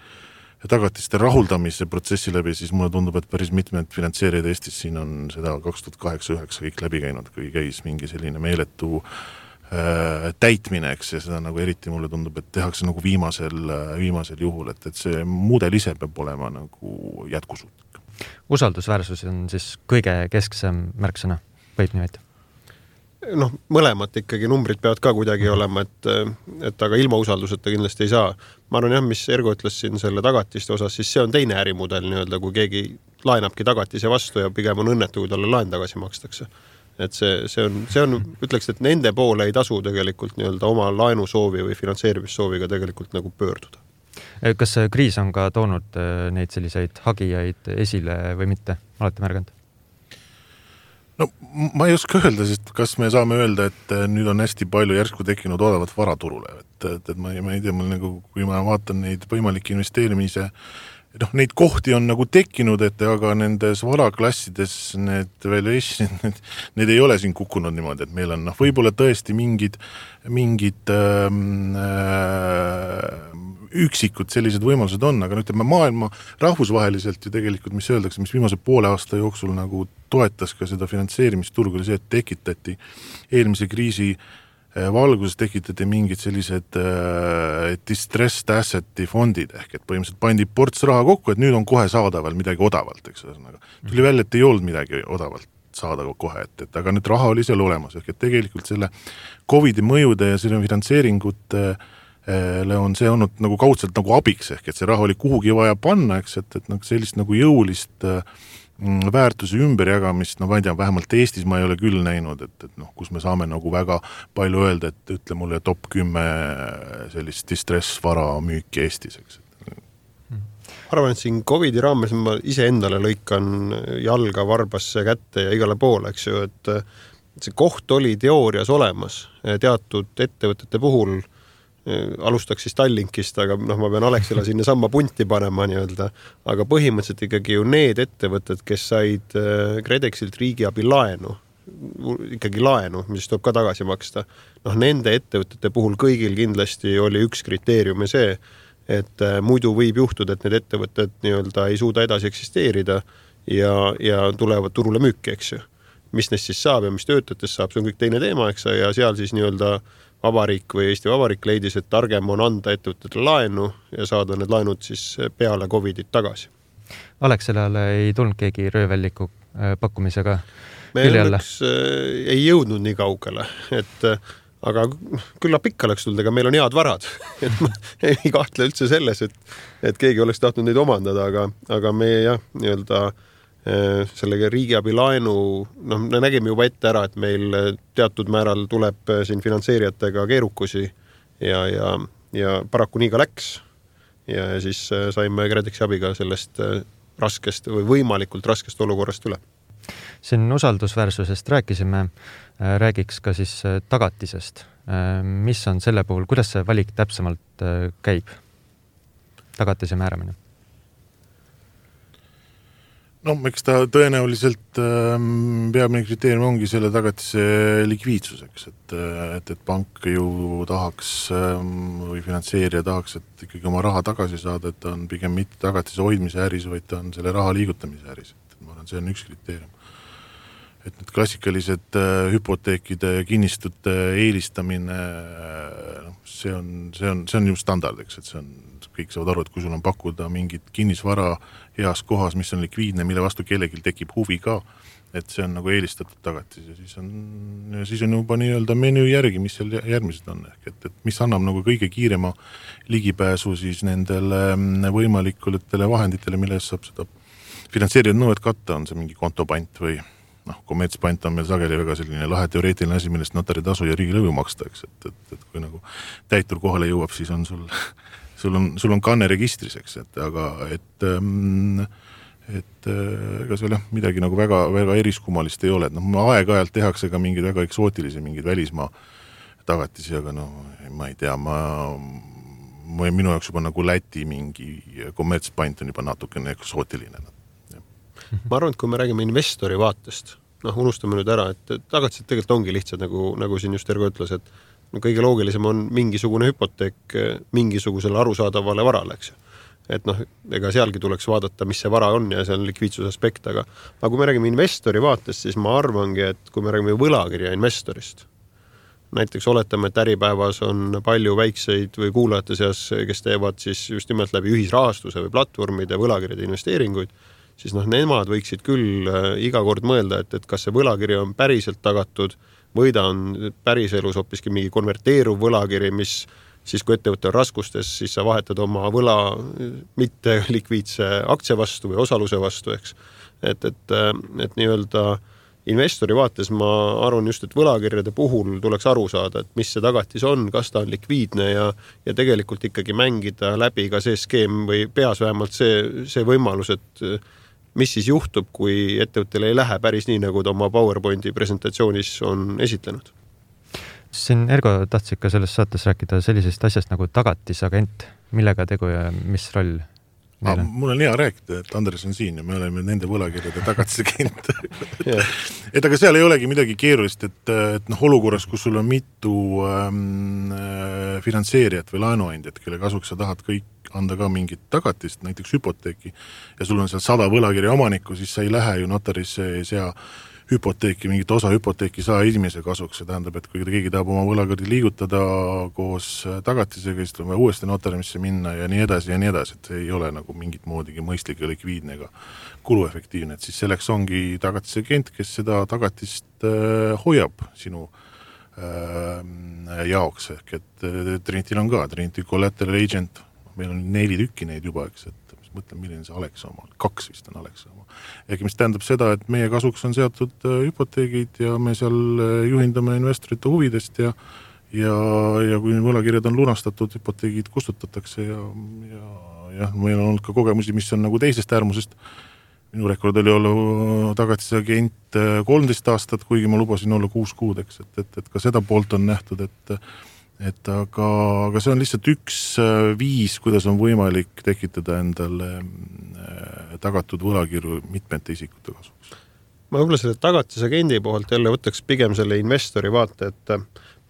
tagatiste rahuldamise protsessi läbi, siis mulle tundub, et päris mitmed finantseerijad Eestis siin on seda 2008-2009 kõik läbi käinud, kui käis mingi selline meeletu täitmine, eks, ja seda nagu eriti mulle tundub, et tehakse nagu viimasel juhul, et see mudel ise peab olema nagu jätkusuutlik. Usaldusväärsus on siis kõige kesksem märksõna, võib niimoodi? Mõlemat ikkagi numbrid peavad ka kuidagi olema, et aga ilma usalduseta kindlasti ei saa. Ma arvan jah, mis Ergo ütles siin selle tagatiste osas, siis see on teine ärimudel nii-öelda, kui keegi laenabki tagatise vastu ja pigem on õnnetu, kui talle laen tagasi makstakse. Et see on, ütleks, et nende poole ei tasu tegelikult nii-öelda oma laenusoovi või finantseerimissooviga tegelikult nagu pöörduda. Kas kriis on ka toonud neid selliseid hagijaid esile või mitte? Olete märganud? Ma ei oska öelda, sest kas me saame öelda, et nüüd on hästi palju järsku tekkinud odavat varaturule, et ma ei tea, mul nagu, kui ma vaatan neid võimalikke investeerimise, neid kohti on nagu tekkinud, et aga nendes varaklassides need valuation, need ei ole siin kukkunud niimoodi, et meil on võib-olla tõesti mingid üksikud sellised võimalused on, aga ütleme maailma rahvusvaheliselt ju tegelikult, mis öeldakse, mis viimase poole aasta jooksul nagu toetas ka seda finantseerimisturgu, oli see, et tekitati eelmise kriisi valguses tekitati mingid sellised distressed asseti fondid, ehk et põhimõtteliselt pandi ports raha kokku, et nüüd on kohe saadaval midagi odavalt, eks ühesõnaga. Tuli välja, et ei olnud midagi odavalt saada kohe, et aga nüüd raha oli seal olemas, ehk et tegelikult selle COVID-i mõjude ja selle finantseeringute on see olnud nagu kaudselt nagu abiks, ehk et see raha oli kuhugi vaja panna, eks, et sellist nagu jõulist väärtuse ümberjagamist, ma ei tea, vähemalt Eestis ma ei ole küll näinud, et kus me saame nagu väga palju öelda, et ütle mulle top 10 sellist distress-vara müüki Eestis, eks. Arvan, et siin COVID-i raames ma ise endale lõikan jalga varbasse kätte ja igale poole, eks ju, et see koht oli teoorias olemas teatud ettevõtete puhul, alustaks siis Tallinkist, aga ma pean Alexela sinna samma punti panema nii-öelda, aga põhimõtteliselt ikkagi ju need ettevõtted, kes said KredExilt riigiabi laenu, mis tuleb ka tagasi maksta, nende ettevõtete puhul kõigil kindlasti oli üks kriteerium ja see, et muidu võib juhtuda, et need ettevõtted nii-öelda ei suuda edasi eksisteerida ja tulevad turule müüki, eks ju. Mis neist siis saab ja mis töötajatest saab, see on kõik teine teema, eks, ja seal siis nii-öelda Vabariik või Eesti Vabariik leidis, et targem on anda ettevõtetele laenu ja saada need laenud siis peale COVID-it tagasi. Alexelale ei tulnud keegi röövelliku pakkumisega me õnneks ei jõudnud nii kaugele, aga küllap ikka oleks tulnud, ega meil on head varad. Et ma ei kahtle üldse selles, et keegi oleks tahtnud neid omandada, aga me jah, nii-öelda sellega riigiabi laenu, me nägime juba ette ära, et meil teatud määral tuleb siin finantseerijatega keerukusi ja paraku nii ka läks ja siis saime KredExi abiga sellest raskest või võimalikult raskest olukorrast üle. Siin usaldusväärsusest rääkisime, räägiks ka siis tagatisest. Mis on selle puhul, kuidas see valik täpsemalt käib? Tagatise määramine? Eks ta tõenäoliselt peamine kriteerium ongi selle tagatise likviidsuseks, et pank ju tahaks või finantseerija tahaks, et ikkagi oma raha tagasi saada, et ta on pigem mitte tagatise hoidmise äris, vaid ta on selle raha liigutamise äris. Ma arvan, see on üks kriteerium. Et need klassikalised hüpoteekide kinnistute eelistamine, see on ju standard, eks, et see on kõik saavad aru, et kui sul on pakkuda mingit kinnisvara heas kohas, mis on likviidne, mille vastu kellelgi tekib huvi ka, et see on nagu eelistatud tagatis ja siis on juba nii-öelda menüü järgi, mis seal järgmised on, et mis annab nagu kõige kiirema ligipääsu siis nendele võimalikutele vahenditele, milles saab seda finantseerinud nõuet katta, on see mingi kontopant või kommertspant on meil sageli väga selline lahe teoreetiline asi, millest notari tasu ja riigilõivu maksta, eks, et kui nagu täitur kohale jõuab, siis on sul sul on kanne registris, eks, aga ega seal midagi nagu väga, väga eriskummalist ei ole, et aeg-ajalt tehakse ka mingeid väga eksootilisi, mingeid välismaa tagatisi, aga ma ei tea, minu jaoks juba nagu Läti mingi kommertspant on juba natukene eksootiline. Ma arvan, et kui me räägime investori vaatest, unustame nüüd ära, et tagatised tegelikult ongi lihtsad, nagu siin just Ergo ütles, et kõige loogilisem on mingisugune hüpoteek mingisugusele arusaadavale varale, eks ju. Et ega sealgi tuleks vaadata, mis see vara on ja see on likviidsuse aspekt, aga kui me räägime investori vaatest, siis ma arvangi, et kui me räägime võlakirja investorist, näiteks oletame, et Äripäevas on palju väikseid või kuulajate seas, kes teevad siis just nimelt läbi ühisrahastuse või platvormide võlakirjade investeeringuid, siis nemad võiksid küll iga kord mõelda, et kas see võlakiri on päriselt tagatud või ta on päriselus hoopiski mingi konverteeruv võlakiri, mis siis kui ettevõtte on raskustes, siis sa vahetad oma võla mitte likviidse aktsia vastu või osaluse vastu, eks. Et nii-öelda investori vaates ma arvan just, et võlakirjade puhul tuleks aru saada, et mis see tagatis on, kas ta on likviidne ja tegelikult ikkagi mängida läbi ka see skeem või peas vähemalt see võimalus, et mis siis juhtub, kui ettevõttele ei lähe päris nii, nagu ta oma PowerPointi presentatsioonis on esitlenud. Siin Ergo tahtsid ka selles saates rääkida sellisest asjast nagu tagatisagent, millega tegu ja mis roll neil on? Mul on hea rääkida, et Andres on siin ja me oleme nende võlakirjade tagatisagent. Et aga seal ei olegi midagi keerulist, et olukorras, kus sul on mitu finantseerijat või laenuandjat, kelle kasuks sa tahad kõik anda ka mingit tagatist, näiteks hüpoteeki, ja sul on seal 100 võlakirja omanikku, siis sa ei lähe ju notarisse ei sea hüpoteeki, mingit osa hüpoteeki saa inimese kasuks, see tähendab, et kui keegi tahab oma võlakirja liigutada koos tagatisega, siis tuleb uuesti notarimisse minna ja nii edasi, et see ei ole nagu mingit moodigi mõistlik ja likviidne ega kuluefektiivne, et siis selleks ongi tagatisagent, kes seda tagatist hoiab sinu jaoks, ehk et Trinityl on ka, Trinity Collateral Agent, meil on 4 tükki neid juba, eks, et mõtlen, milline see Alexa oma, 2 vist on Alexa oma. Ehk mis tähendab seda, et meie kasuks on seatud hüpoteegid ja me seal juhindame investorite huvidest ja kui võlakirjad on lunastatud, hüpoteegid kustutatakse ja meil on olnud ka kogemusi, mis on nagu teisest äärmusest. Minu rekord oli olla tagatisagent 13 aastat, kuigi ma lubasin olla 6 kuud, eks, et ka seda poolt on nähtud, aga see on lihtsalt üks viis, kuidas on võimalik tekitada endale tagatud võlakirju mitmete isikute kasuks. Ma võib-olla selle tagatisagendi poolt jälle võtaks pigem selle investori vaate, et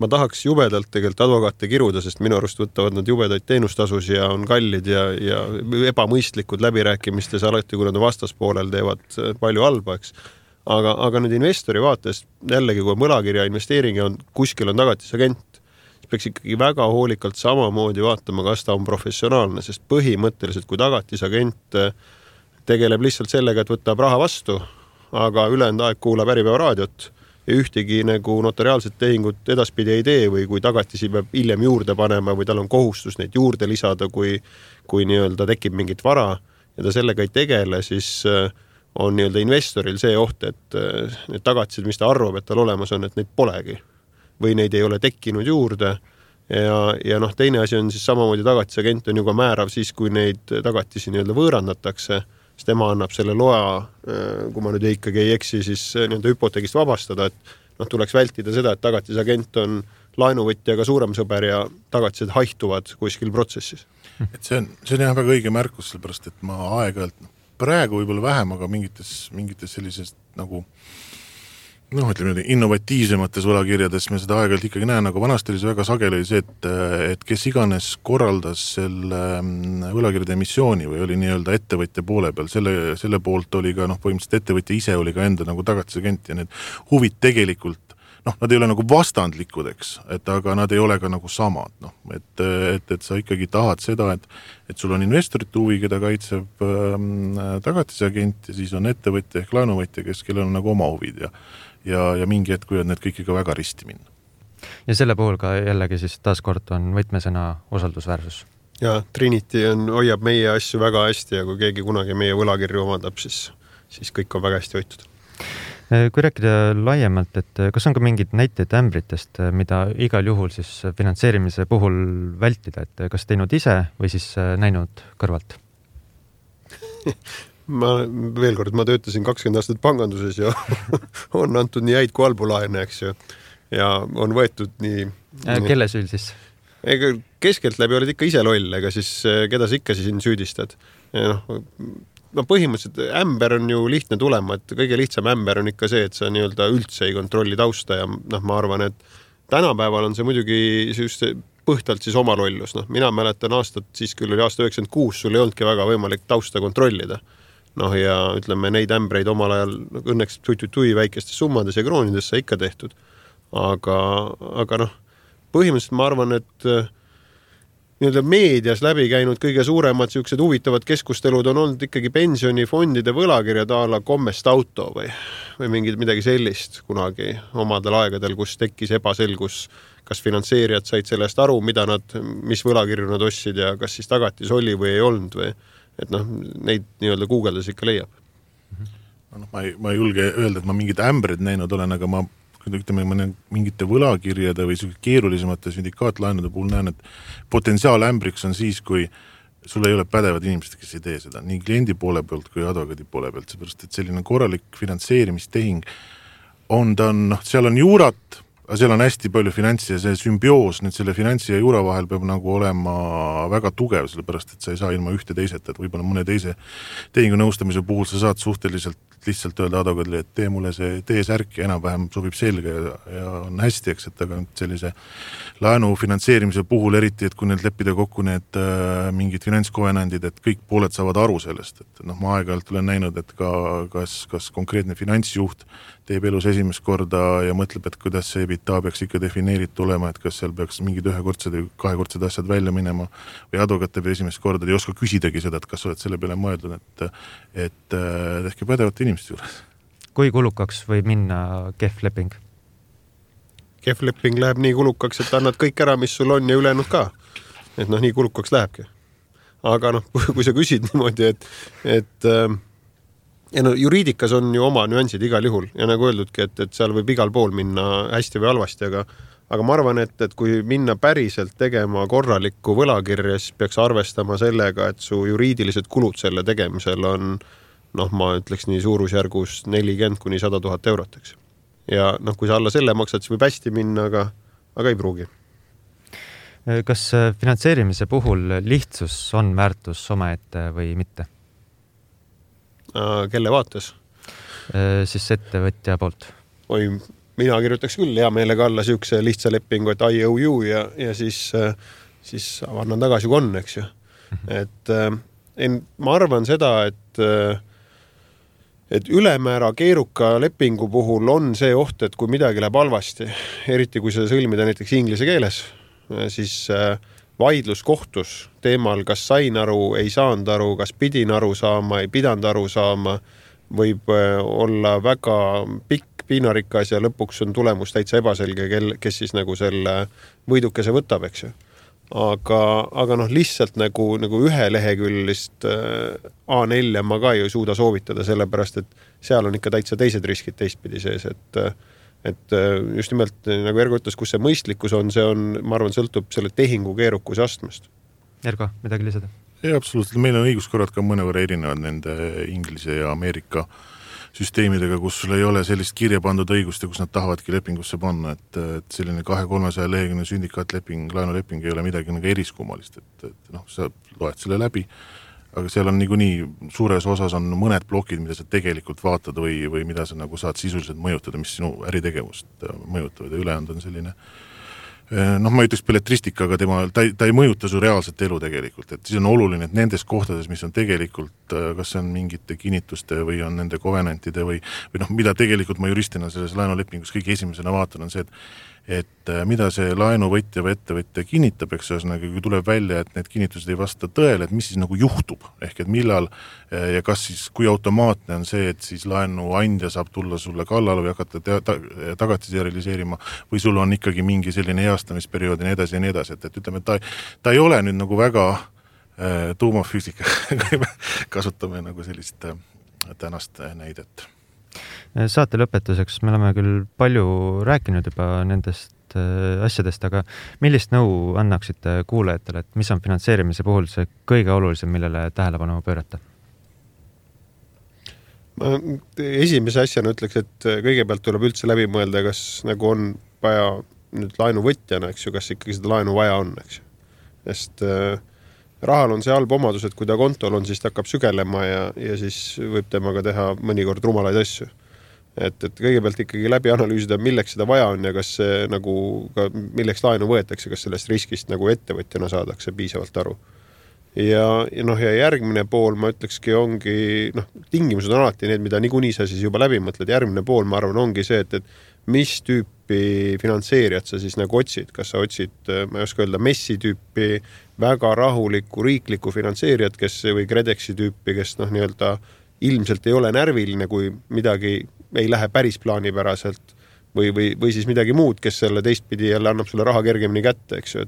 ma tahaks jubedalt tegelikult advokaate kiruda, sest minu arust võtavad nad jubedaid teenustasus ja on kallid ja ebamõistlikud läbirääkimistes alati, kui nad vastaspoolel teevad palju halba, eks. Aga nüüd investori vaates jällegi, kui võlakirja investeering on, kuskil on tagatisagent, peaks ikkagi väga hoolikalt samamoodi vaatama, kas ta on professionaalne, sest põhimõtteliselt, kui tagatisagent tegeleb lihtsalt sellega, et võtab raha vastu, aga ülejäänud aeg kuulab Äripäeva raadiot ja ühtegi nagu notariaalset tehingut edaspidi ei tee või kui tagatisi peab hiljem juurde panema või tal on kohustus neid juurde lisada, kui nii-öelda tekib mingit vara ja ta sellega ei tegele, siis on nii-öelda investoril see oht, et need tagatised, mis ta arvab, et tal olemas on, et neid polegi või neid ei ole tekkinud juurde ja teine asi on siis samamoodi tagatisagent on ju ka määrav siis, kui neid tagatisi nii-öelda võõrandatakse, siis tema annab selle loa, kui ma nüüd ikkagi ei eksi, siis nii-öelda hüpoteegist vabastada, et tuleks vältida seda, et tagatisagent on laenuvõtjaga suurem sõber ja tagatised haihtuvad kuskil protsessis. Et see on jah väga õige märkus, sellepärast, et ma aeg-ajalt praegu võib-olla vähem, aga mingites sellisest nagu ütleme, innovatiivsemates võlakirjades me seda aeg-ajalt ikkagi näen, aga vanasti oli see väga sageli see, et kes iganes korraldas selle võlakirjade emissiooni või oli nii-öelda ettevõtja poole peal, selle poolt oli ka põhimõtteliselt ettevõtja ise oli ka enda nagu tagatisagent ja need huvid tegelikult, nad ei ole nagu vastandlikud, eks, aga nad ei ole ka nagu samad, et sa ikkagi tahad seda, et sul on investorite huvi, keda kaitseb tagatisagent ja siis on ettevõtja ehk laenuvõtja, kellel on nagu oma huvid ja mingi hetk võivad need kõik ikka väga risti minna. Ja selle puhul ka jällegi siis taaskord on võtmesõna usaldusväärsus. Ja Trinity hoiab meie asju väga hästi ja kui keegi kunagi meie võlakirju omandab, siis kõik on väga hästi hoitud. Kui rääkida laiemalt, et kas on ka mingid näiteid ämbritest, mida igal juhul siis finantseerimise puhul vältida, et kas teinud ise või siis näinud kõrvalt? Veel kord, ma töötasin 20 aastat panganduses ja on antud nii häid kui halbu laene, eks ju. Ja on võetud nii... Kelle süül siis? Keskelt läbi oled ikka ise loll, ega siis keda sa ikka siin süüdistad. Ja põhimõtteliselt ämber on ju lihtne tulema, et kõige lihtsam ämber on ikka see, et sa nii-öelda üldse ei kontrolli tausta ja ma arvan, et tänapäeval on see muidugi põhtalt siis oma lollus. Mina mäletan aastat, siis küll oli aasta 96, sul ei olnudki väga võimalik tausta kontrollida. Ja ütleme, neid ämbreid omal ajal õnneks tui väikestes summades ja kroonides sai ikka tehtud. Aga põhimõtteliselt ma arvan, et meedias läbi käinud kõige suuremad siuksed huvitavad keskustelud on olnud ikkagi pensionifondide võlakirjad a la Kommest auto või midagi sellist kunagi omadel aegadel, kus tekkis ebaselgus, kas finantseerijad said sellest aru, mis võlakirju nad ostsid ja kas siis tagatis oli või ei olnud või et neid nii-öelda guugeldes ikka leiab. Ma ei julge öelda, et ma mingid ämbrid näinud olen, aga ma mingite võlakirjade või keerulisemate sündikaatlaenude puhul näen, et potentsiaal ämbriks on siis, kui sul ei ole pädevad inimesed, kes ei tee seda, nii kliendi poole pealt kui advokaadi poole pealt, seepärast, et selline korralik finantseerimistehing seal on juurat, aga seal on hästi palju finantsi ja see sümbioos nüüd selle finantsi ja juura vahel peab nagu olema väga tugev, sellepärast, et sa ei saa ilma ühte teiseta, et võib-olla mõne teise tehingu nõustamise puhul sa saad suhteliselt lihtsalt öelda advokaadile, et tee mulle see teesärk ja enam-vähem sobib selge ja on hästi, eks, et aga sellise laenu finantseerimise puhul eriti, et kui need leppida kokku need mingid finantskovenandid, et kõik pooled saavad aru sellest, et ma aeg-ajalt olen näinud, et kas konkreetne finantsjuht teeb elus esimest korda ja mõtleb, et kuidas see EBITDA peaks ikka defineeritud olema, et kas seal peaks mingid ühekordsed või kahekordsed asjad välja minema või advokaat teeb esimest korda ja ei oska küsidagi seda, et kas oled selle peale mõeldud, et tehke pädevate inimeste juures. Kui kulukaks võib minna kehv leping? Kehv leping läheb nii kulukaks, et annad kõik ära, mis sul on ja ülejäänud ka. Et nii kulukaks lähebki. Aga kui sa küsid niimoodi, et juriidikas on ju oma nüansid igal juhul ja nagu öeldudki, et seal võib igal pool minna hästi või halvasti, aga ma arvan, et kui minna päriselt tegema korralikku võlakirja, siis peaks arvestama sellega, et su juriidilised kulud selle tegemisel on, ma ütleks nii suurusjärgus 40,000–100,000 €, eks. Ja kui sa alla selle maksad, siis võib hästi minna, aga ei pruugi. Kas finantseerimise puhul lihtsus on väärtus omaette või mitte? Kelle vaates? Siis ettevõtja poolt. Mina kirjutaks küll hea meelega alla siukse lihtsa lepingu, et IOU ja siis annan tagasi kui on, eks ju. Et ma arvan seda, et ülemäära keeruka lepingu puhul on see oht, et kui midagi läheb halvasti, eriti kui seda sõlmida näiteks inglise keeles, siis vaidlus kohtus teemal, kas sain aru, ei saanud aru, kas pidin aru saama, ei pidanud aru saama, võib olla väga pikk piinarikas ja lõpuks on tulemus täitsa ebaselge, kes siis nagu selle võidukese võtab, eks ju. Aga lihtsalt nagu ühe leheküljest A4 ma ka ei suuda soovitada, sellepärast, et seal on ikka täitsa teised riskid teistpidi sees, et just nimelt, nagu Ergo ütles, kus see mõistlikkus on, ma arvan, sõltub selle tehingu keerukuse astmest. Ergo, midagi lisada? Ei, absoluutselt. Meil on õiguskorrad ka mõnevõrra erinevad nende Inglise ja Ameerika süsteemidega, kus sul ei ole sellist kirja pandud õigust ja kus nad tahavadki lepingusse panna, et selline 200-300 leheküljeline sündikaatleping, laenuleping ei ole midagi nagu eriskummalist, et sa loed selle läbi, aga seal on niikuinii suures osas on mõned plokid, mida sa tegelikult vaatad või mida sa nagu saad sisuliselt mõjutada, mis sinu äritegevust mõjutavad ja ülejäänud on selline ma ütleks belletristika, aga ta ei mõjuta su reaalset elu tegelikult, et siis on oluline, et nendes kohtades, mis on tegelikult, kas see on mingite kinnituste või on nende kovenantide või mida tegelikult ma juristina selles laenulepingus kõige esimesena vaatan, on see, et mida see laenuvõtja või ettevõtja kinnitab, eks ühesõnaga, kui tuleb välja, et need kinnitused ei vasta tõele, et mis siis nagu juhtub, ehk et millal ja kas siis, kui automaatne on see, et siis laenuandja saab tulla sulle kallale või hakata tagatisi realiseerima või sul on ikkagi mingi selline heastamisperiood ja nii edasi, et ütleme, et ta ei ole nüüd nagu väga tuumafüüsika, kasutame nagu sellist tänast näidet. Saate lõpetuseks me oleme küll palju rääkinud juba nendest asjadest, aga millist nõu annaksite kuulajatele, et mis on finantseerimise puhul see kõige olulisem, millele tähelepanu pöörata? Ma esimese asjana ütleks, et kõigepealt tuleb üldse läbi mõelda, kas nagu on vaja nüüd laenuvõtjana, eks ju, kas ikkagi seda laenu vaja on, eks ju. Sest rahal on see halb omadus, et kui ta kontol on, siis ta hakkab sügelema ja siis võib temaga teha mõnikord rumalaid asju. Et kõigepealt ikkagi läbi analüüsida, milleks seda vaja on ja kas see nagu, milleks laenu võetakse, kas sellest riskist nagu ettevõtjana saadakse piisavalt aru. Ja järgmine pool, ma ütlekski, ongi, tingimused on alati need, mida niikuinii sa siis juba läbi mõtled. Järgmine pool, ma arvan, ongi see, et mis tüüpi finantseerijat sa siis nagu otsid. Kas sa otsid, ma ei oska öelda, messi tüüpi, väga rahulikku riiklikku finantseerijat, kes või Kredeksi tüüpi, kes nii-öelda ilmselt ei ole närviline, kui midagi ei lähe päris plaanipäraselt või siis midagi muud, kes selle teistpidi jälle annab sulle raha kergemini kätte, eks ju,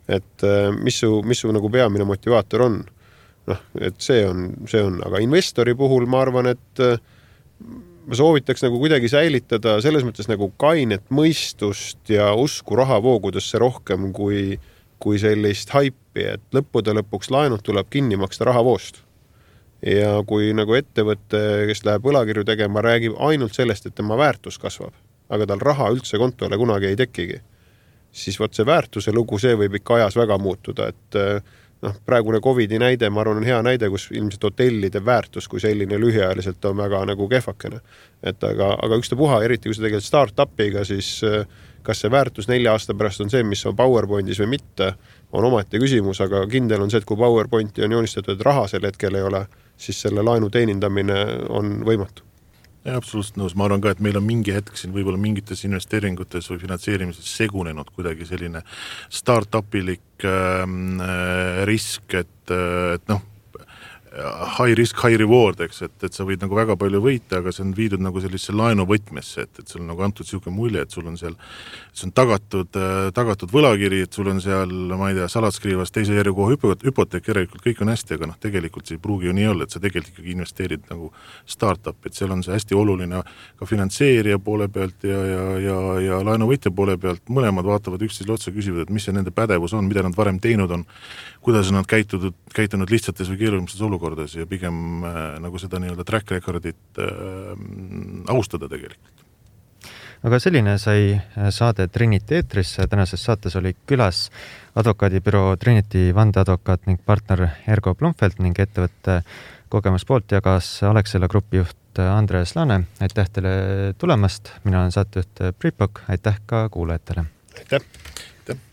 et mis su nagu peamine motivaator on. Et see on, aga investori puhul ma arvan, et ma soovitaks nagu kuidagi säilitada selles mõttes nagu kainet mõistust ja usku rahavoogudesse rohkem kui sellist haipi, et lõppude lõpuks laenud tuleb kinni maksta rahavoost. Ja kui nagu ettevõtte, kes läheb võlakirju tegema, räägib ainult sellest, et tema väärtus kasvab, aga tal raha üldse kontole kunagi ei tekigi, siis võt see väärtuse lugu, see võib ikka ajas väga muutuda, et praegune COVID-i näide, ma arvan, on hea näide, kus ilmselt hotellide väärtus kui selline lühiajaliselt on väga nagu kehvakene. Aga ükstapuha, eriti kui sa tegelikult start-upiga, siis kas see väärtus 4 aasta pärast on see, mis on PowerPointis või mitte, on omaette küsimus, aga kindel on see, et kui PowerPointi on joonistatud, et raha sel hetkel ei ole, siis selle laenu teenindamine on võimatu. Ja, absoluutselt nõus. Ma arvan ka, et meil on mingi hetk siin võib-olla mingites investeeringutes või finantseerimises segunenud kuidagi selline start-upilik risk, et high risk, high reward, eks, et sa võid nagu väga palju võita, aga see on viidud nagu sellise laenuvõtmesse, et sul on nagu antud siuke mulje, et sul on seal, see on tagatud võlakiri, et sul on seal, ma ei tea, salatskriivas teise järjekoha hüpoteek, järelikult kõik on hästi, aga tegelikult see ei pruugi ju nii olla, et sa tegelikult ikkagi investeerid nagu start-up, et seal on see hästi oluline ka finantseerija poole pealt ja laenuvõtja poole pealt, mõlemad vaatavad üksteisele otsa, küsivad, et mis see nende pädevus on, mida nad varem teinud on, kuidas on nad käitunud lihtsates või keerulises olukordades ja pigem nagu seda nii-öelda track recordit austada tegelikult. Aga selline sai saade Trinity eetrisse. Tänases saates oli külas advokaadibüroo Trinity vandeadvokaat ning partner Ergo Blumfeld ning ettevõtte kogemuspoolt jagas Alexela grupi juht Andres Laane. Aitäh teile tulemast. Mina olen saatejuht Priit Pokk. Aitäh ka kuulajatele. Aitäh.